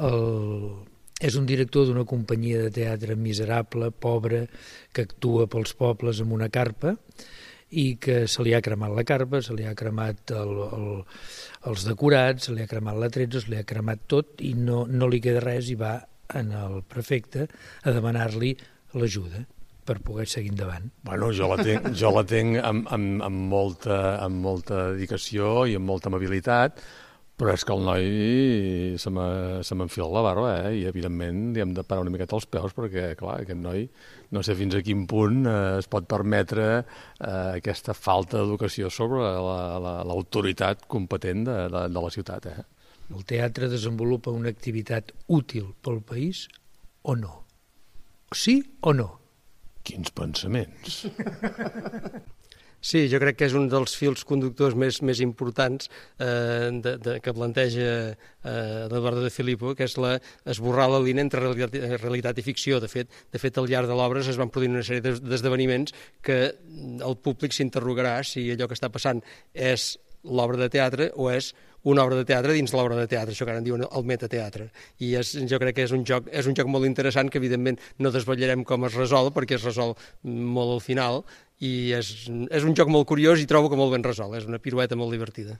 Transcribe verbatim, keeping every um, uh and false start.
el, és un director d'una companyia de teatre miserable, pobra, que actua pels pobles amb una carpa i que se li ha cremat la carpa, se li ha cremat el, el, els decorats, se li ha cremat l'attrezzo, se li ha cremat tot i no, no li queda res i va en el prefecte a demanar-li l'ajuda per poder seguir endavant. Bueno, jo la tinc, jo la tinc amb, amb, amb, molta, amb molta dedicació i amb molta amabilitat, però és que el noi se m'enfila la barba, eh? I evidentment li hem de parar una miqueta als peus perquè, clar, aquest noi no sé fins a quin punt eh, es pot permetre eh, aquesta falta d'educació sobre l'autoritat la, la, competent de, de, de la ciutat. Eh? El teatre desenvolupa una activitat útil pel país o no? Sí o no? Quins pensaments! Sí, jo crec que és un dels fils conductors més, més importants eh, de, de, que planteja eh, l'Eduardo de Filippo, que és la, esborrar la línia entre realitat, realitat i ficció. De fet, de fet, al llarg de l'obra es van produint una sèrie d'esdeveniments que el públic s'interrogarà si allò que està passant és l'obra de teatre o és una obra de teatre dins l'obra de teatre, això que ara en diuen el metateatre. I és, jo crec que és un joc, és un joc molt interessant que evidentment no desvetllarem com es resol, perquè es resol molt al final, i és, és un joc molt curiós i trobo que molt ben resolt, és una pirueta molt divertida.